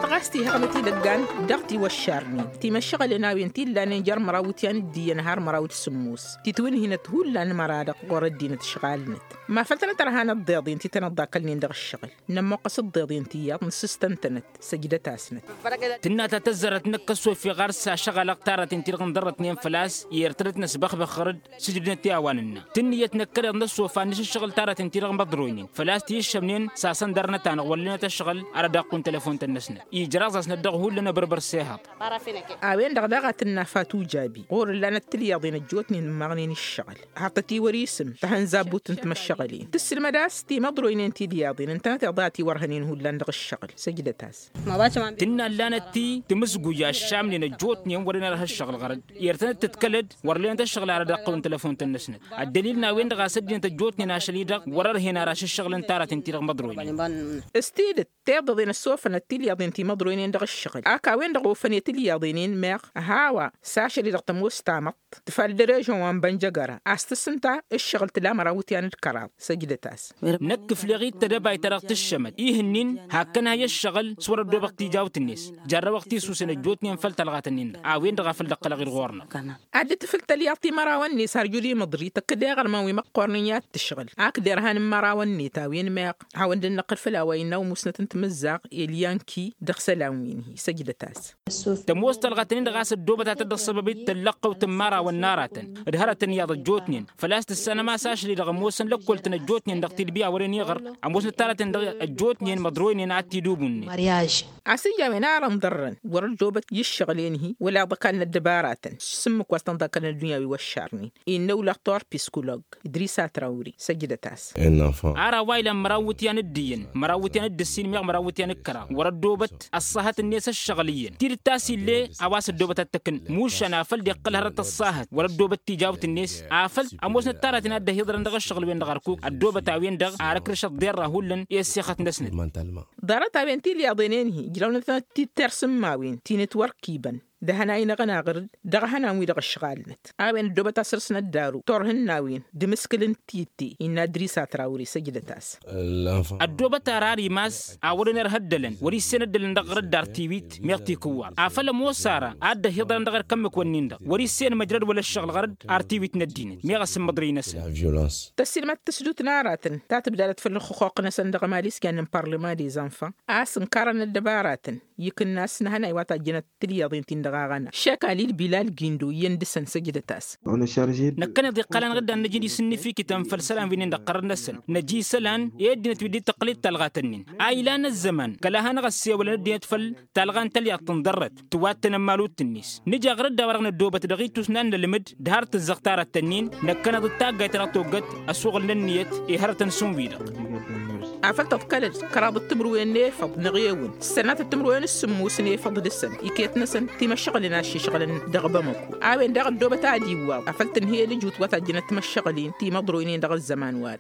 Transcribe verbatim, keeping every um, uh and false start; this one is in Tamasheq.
Ɣas tihăɣnăt idăggan dăɣ-tiwăššarnen timăššăɣălen a-wen ti ǝllanen jer-măraw iwǝtyan d-iyyăn har măraw d-sǝmmos titwǝnhinăt hullan măra-dăɣ ɣur-ăddinăt ǝšɣalnăt. Ma făl tănăt-ărhanăt d-iḍen ti tănăt-ḍakălnen dăɣ-ǝššăɣǝl. Nămmuqqăs d-iḍen ti iyyăḍ nǝssǝstăn-tănăt. Săjdăt-asnăt. Tǝnna ta tăzzarăt năkk ăssofeɣ ɣar-s ašăɣal ăɣtarăten ti-dăɣ ǝnḍărrătnen făl-a-s i-irtădăt năsbăxbăx ɣăr-dd. Sǝjdǝnăt i-a-wa nǝnna tǝnnǝyăt năkkăneḍ n-ăssofan n-išǝššăɣǝl taratăn-ti-dăɣ imăḍroynen făl-a-s tiyyǝššămnen. S-asăn dăr-năta-năɣ wăr lenăt ăššăɣǝl ara daqqu n-telăfon-tăn-năsnăt ijraẓ-asnăt dăɣ-hullan abărbăr s-ehăḍ. A-wen-dăɣ daɣ a tǝnna fatu jabi ɣur-ǝllanăt tilyaḍen ăjjootnen ǝmmăɣnen iššăɣǝl. Har tătiwăr isǝm tahănzabbut n-timăššăɣǝlen tǝssǝlmăd a-s timăḍroynen tilyaḍen ǝntănăteḍ a tiwărhănen hullan dăɣ-ǝššăɣǝl. Săjdăt-as. Tǝnna ǝllanăt ti tǝmǝzguj aššamnen ăjjootnen wăren ărha ǝššăɣǝl ɣărăd. Irtănăt tǝḍkălăd wăr lenăt ăššăɣǝl ara dăɣ-tăwăn telăfon-tăn-năsnăt. Ăddălil n-a-wen-dăɣ a-s ăddinăt ăjjootnen ašăl-i-dăɣ wăr-ărhen ara ašǝššăɣǝl n-taratăn-ti-dăɣ măḍroynen. S-tidǝt tiḍăḍen ăssofănăt tilyaḍen ti măḍroynen dăɣ-ǝššăɣǝl ak a-wen-dăɣ ofăn i-tilyaḍen-in meɣ. Hawa s-ašăl-i-dăɣ tămoos tamăḍt tǝfal d-režon wa n-bănjăgăra a-s tǝssǝnta ǝššăɣǝl tǝla măraw iwǝtyan d-kăraḍ. Săjdăt-as. Năkk ǝfleɣ-dd tedăbayt ta dăɣ-tǝššămăt ihǝnnin hakkăn-ha i-ǝššăɣǝl s-wăr-ăddoobăɣ tijawt-net. Jarrăwăɣ tisusen ăjjootnen făll-talɣat-nin-dăɣ a-wen-dăɣ a făl dd-ăqqălăɣ-dd ɣur-năɣ. Ad-dd-tǝfǝl tălyaḍt timărawăn-net har jud imǝḍri tăkk-dd iɣărman wi măqqornen i-ad-tǝšɣǝl ak derhan n-imărawăn-net a-wen meɣ. Hawăn-dd-năqqǝl făll-a-wa innă umusnăt n-timǝzzaɣ elyanki dăɣ-isălan wi n-hi săjdăt-as. Tămoos talɣa-tăn-in-dăɣ a-s ăddoobăt ad-tădd-ăṣṣăbăb-dd tăllăqqăwt n-imărawăn n-aratăn d-hărătăn iyyăḍ ăjjootnen. Făl-a-s tǝssanăm a-s ašăl-i-dăɣ ămoosăn lăkkoltăn ăjjootnen dăɣ-tidbi a wăren iɣăr ămoosnăt taratăn dăɣ-ăjjootnen măḍroynen ad-t-id-ubunnet. A-s ija a-wen ar ǝnḍărrăn wăr-ăddoobăt i-ǝššăɣǝl-en-hi wăla ǝḍăkal n-ăddăbaratăn. S-ǝmmǝk wa s-tăn-ḍakkălăn ăddunya wi wăššarnen innă ulaɣ torpiskulog. Idrisa trawri săjdăt-as. Ar a-wa ilan măraw n-iwǝtyan d-iyyăn măraw n-iwǝtyan d-ǝssin meɣ măraw n-iwǝtyan d-kăraḍ wăr-ăddoobăt ăṣṣahăt-net ăššăɣǝl iyyăn tidǝt ta s-ill'-e. A-wa s-ăddoobăt ad-t-ăkk n-mušan afăl dd-iqqăl hărăt ăṣṣahăt wăr-ăddoobăt tijawt-net afăl ămoosnăt taratăn a dd-ăhiḍărăn dăɣ-ǝššăɣǝl-wen-dăɣ ărkuk ăddoobăt a-wen-dăɣ ar ǝkrǝšăt ḍerra hullan i-ăssixăt-năsnăt. Ḍarăt-a-wen tilyaḍen-en-hi ǝjrawnăt-tănăt-dd tirǝs n-imawin ti n-ǝtwărkiibăn d-ehănay n-aɣănaɣ ɣǝr-dd dăɣ-ehănan-wi-dăɣ ǝšɣalnăt a-wen ăddoobăt a săr-s n-ăddaru turhǝnnawen d-imǝskǝl n-titte. Innă adris a trawre săjdăt-as. Ăddoobăt ara ar imas a wăren irha ăddălăn wăr-issen ăddălăn dăɣ-ɣăr-dd ar tiwit meɣ tikǝwwaḍ afăl ămoos ara ad-dd-ăhiḍărăn dăɣ-erk ǝmmǝk-wǝnnin-dăɣ wăr-issen măjrăd wăla ǝššăɣǝl ɣăr-dd ar tiwit n-ăddinăt meɣ ăsǝmmăḍrăy-năsăn. Tăssilmăt tǝsdut n-aratăn ta tǝbdadăt făll-ixuqquq-năsăn dăɣ-emali s-kăyăn n-parlăma des enfants a-s ǝnkarăn ăddăbaratăn ikǝnnas n-ehănay wa tajjănăt tilyaḍen-tin-dăɣ aɣăna šek alil bilal gindo iyyăn dăɣ-săn săjdăt-as. Năkkăneḍ iqqăl-anăɣ-dd ad-năj d-isǝnnǝfikităn făll-isălan wi-nin-dăɣ ɣărăt-năsăn năj isălan i-ăddinăt wi dd-tăqqǝl-dd talɣat-nin a ilan ăzzăman kăla hanăɣ-ăssewălăn ăddinăt făll-talɣa n-talyaḍt tǝnḍărrăt tǝwattăn ămmalutǝnnis nǝja ɣărăt d-a-wa-dăɣ năddoobăt dăɣ-itus n-ad-nălmǝd d-har tǝzzăɣ tarat-tăn-in. Năkkăneḍ d-taggayt ta dăɣ-toggăt ăsuɣǝl n-ǝnniyăt i-hărătăn šund-wi-dăɣ. Afăl tăḍkăl-dd kăraḍăt timǝrwen n-efăḍ năɣ-ewǝn s-sănatăt timǝrwen s-sǝmmus n-efăḍ dăɣ-săn iket-năsăn timăššăɣǝlăn aššešɣǝlăn dăɣ-bamăko. A-wen-dăɣ ăddoobăt ad-iwwaḍ afăl tǝnhǝy ălǝjut wa tajjănăt timăššăɣǝlin timăḍroynen dăɣ-ăzzăman-wa-dăɣ.